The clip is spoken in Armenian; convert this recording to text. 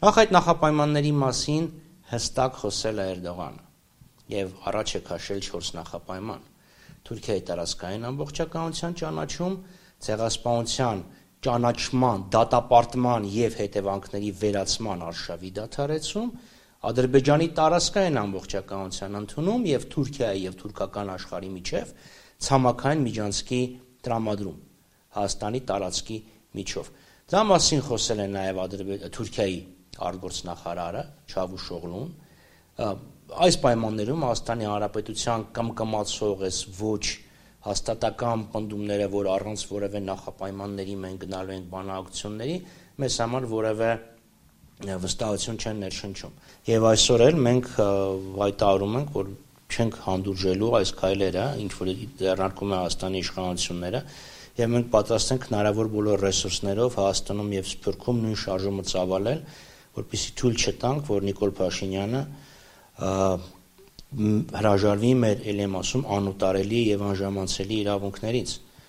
Նախ այդ նախապայմանների մասին հստակ խոսել է Էրդողանը եւ առաջ է քաշել 4 նախապայման. Թուրքիայի տարածքային ամբողջականության ճանաչում, ցեղասպանության ճանաչման, դատապարտման եւ հետևանքների վերացման արշավի դադարեցում, Ադրբեջանի տարածքային ամբողջականության ընդունում եւ Թուրքիայի եւ թուրքական աշխարհի միջև ցամաքային միջանցքի տրամադրում Հայաստանի տարածքի միջով։ Դա մասին խոսել է նաեւ Թուրքիայի արտգործնախարարը Չավուշօղլուն։ Այս պայմաններում Հայաստանի Հանրապետության կմկմացող էս ոչ հաստատական պնդումները, որ առանց որևէ նախապայմանների մենք գնալու ենք բանակցությունների, մեզ համար որևէ վստահություն չեն ներշնչում։ Եվ այսօր էլ մենք հայտարարում ենք, որ չենք հանդուրժելու այս քայլերը, ինչ որ ձեռնարկում է Հայաստանի իշխանությունները, եւ մենք պատրաստ ենք հնարավոր բոլոր ռեսուրսներով Հայաստանում եւ Սփյուռքում նույն շարժումը ծավալել, որպեսզի թույլ չտանք, որ Նիկոլ Փաշինյանը հրաժարվի մեր ել եմ ասում անուտարելի եւ անժամանցելի իրավունքներից։